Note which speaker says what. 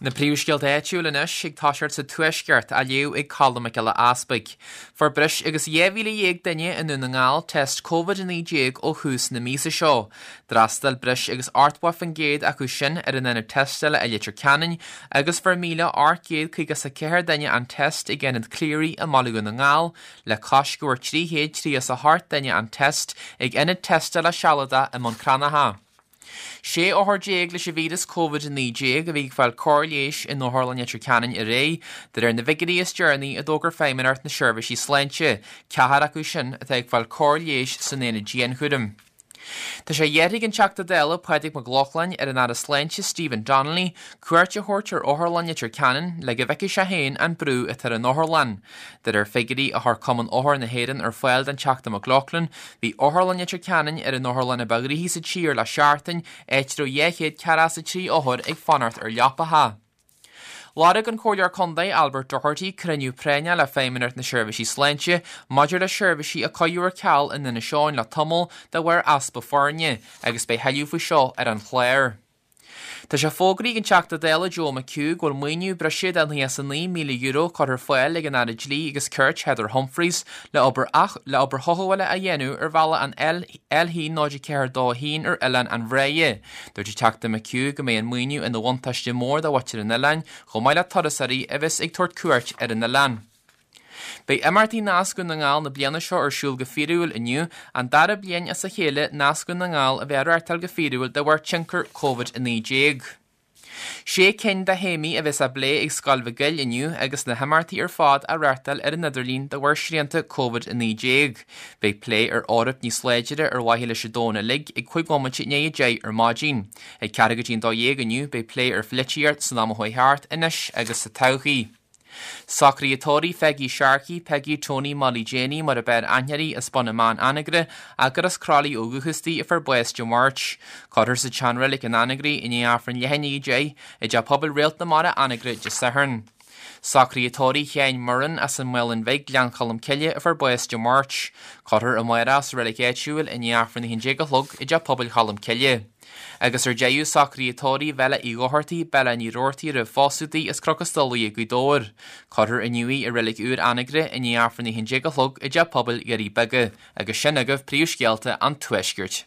Speaker 1: Na príomhscéalta áitiúil anois ag toiseacht sa Tuaisceart, á léamh ag Colm Mac Giolla Easpaig. Fuair breis agus 12,000 duine i nDún na nGall test Covid-19 ó thús na míosa seo. D'fhreastail breis agus 80% acu sin ar an ionad tástála i Leitir Ceanainn agus fuair 1,854 duine an test ag Ionad Cleary i mBaile Dhún na nGall, le cois go bhfuair 338 duine an test ag ionad tástála sealadach i mBun Cranncha. 16 othar leis an víreas Covid-19 a bhí ag fáil cóir leighis in Otharlann Leitir Ceanainn aréir, de réir na bhfigiúirí is deireanaí a d'fhógair Feidhmeannacht na Seirbhísí Sláinte, ceathrar acu sin atá ag fáil cóir leighis san aonad dianchúraim. Tá sé iarrtha ag an Teachta Dála Pádraig Mac Lochlainn ar an Aire Sláinte Stephen Donnelly cuairt a thabhairt ar Otharlann Leitir Ceanainn le go bhfeicfidh sé féin an brú atá ar an otharlann. De réir figiúirí a chuir Cumann Othar na hÉireann ar fáil don Teachta McLaughlin, bhí Otharlann Leitir Ceanainn ar an otharlann a ba ghnoithí sa tír le seachtain, áit a raibh 243 othar ag fanacht ar leapacha. Lorg an Comhairleoir Contae Albert Doherty cruinniú práinneach le Feidhmeannacht na Seirbhísí Sláinte maidir le seirbhísí a cuireadh ar ceal in Inis Eoghain le tamall de bharr easpa foirne, agus beidh thuilleadh faoi seo ar an chlár. Tá sé fógraithe ag an Teachta Dála Joe McHugh go bhfuil maoiniú breise de €99,000 curtha ar fáil ag an Aire Dlí agus Cirt Heather Humphreys le obair le obair chothabhála a dhéanamh ar bhealach an L104 21 ar Oileán an Bhráighe. Dúirt an Teachta McHugh go mbeidh an maoiniú ina bhuntáiste mór do mhuintir an oileáin chomh maith le turasóirí a bheas ag tabhairt cuairt ar an oileán. Beidh imeachtaí Nasc Dhún na nGall na bliana seo ar siúl go fíorúil inniu, an dara bliain as a chéile Nasc Dhún na nGall a bheith á reáchtáil go fíorúil de bharr tionchar Covid-19. Sé cinn de théamaí a bheas á bplé ag Scoil Mhic Goill inniu agus na himeachtaí ar fad á reáchtáil ar an idirlíon de bharr srianta Covid-19. Beidh plé ar Eoraip níos láidre ar mhaithe leis an domhan uilig ag 5 bhomaite i ndiaidh 10 ar maidin. Ag ceathrú go dtí an 12 inniu beidh plé ar pholaitíocht san am a chuaigh thart, anois agus sa todhchaí. Socruithe tórraimh Pheigí Sharkey, Peigí Tony Molly Janie mar a b'fhearr aithne uirthi as Bun na mBan, Anagaire, gur as Croithlí ó dhúchas di a fuair bás Dé Máirt. Cuirfear sa tseanreilig in Anagaire i ndiaidh Aifreann leath i ndiaidh 10 i dTeach Pobail Réalt na Mara, Anagaire, Dé Sathairn. Socruithe tórraimh Sheáin Murrin as an Mhaolainn Bhig, Gleann Cholm Cille a fuair bás Dé Máirt. Cuirfear amárach sa reilig áitiúil i ndiaidh Aifreann 11 a chlog i dTeach Pobail Cholm Cille. Agus ar deireadh, socruithe tórraimh Bhella Uí Dhochartaigh, Bella Ní Rabhartaigh roimh phósadh di, as Cnoc an Stolaire, Gaoth Dobhair. Cuirfear inniu í i reilig úr Anagaire i ndiaidh Aifreann 11 a chlog i dTeach Pobail Dhoirí Beaga. Agus sin agaibh príomhscéalta an Tuaiscirt.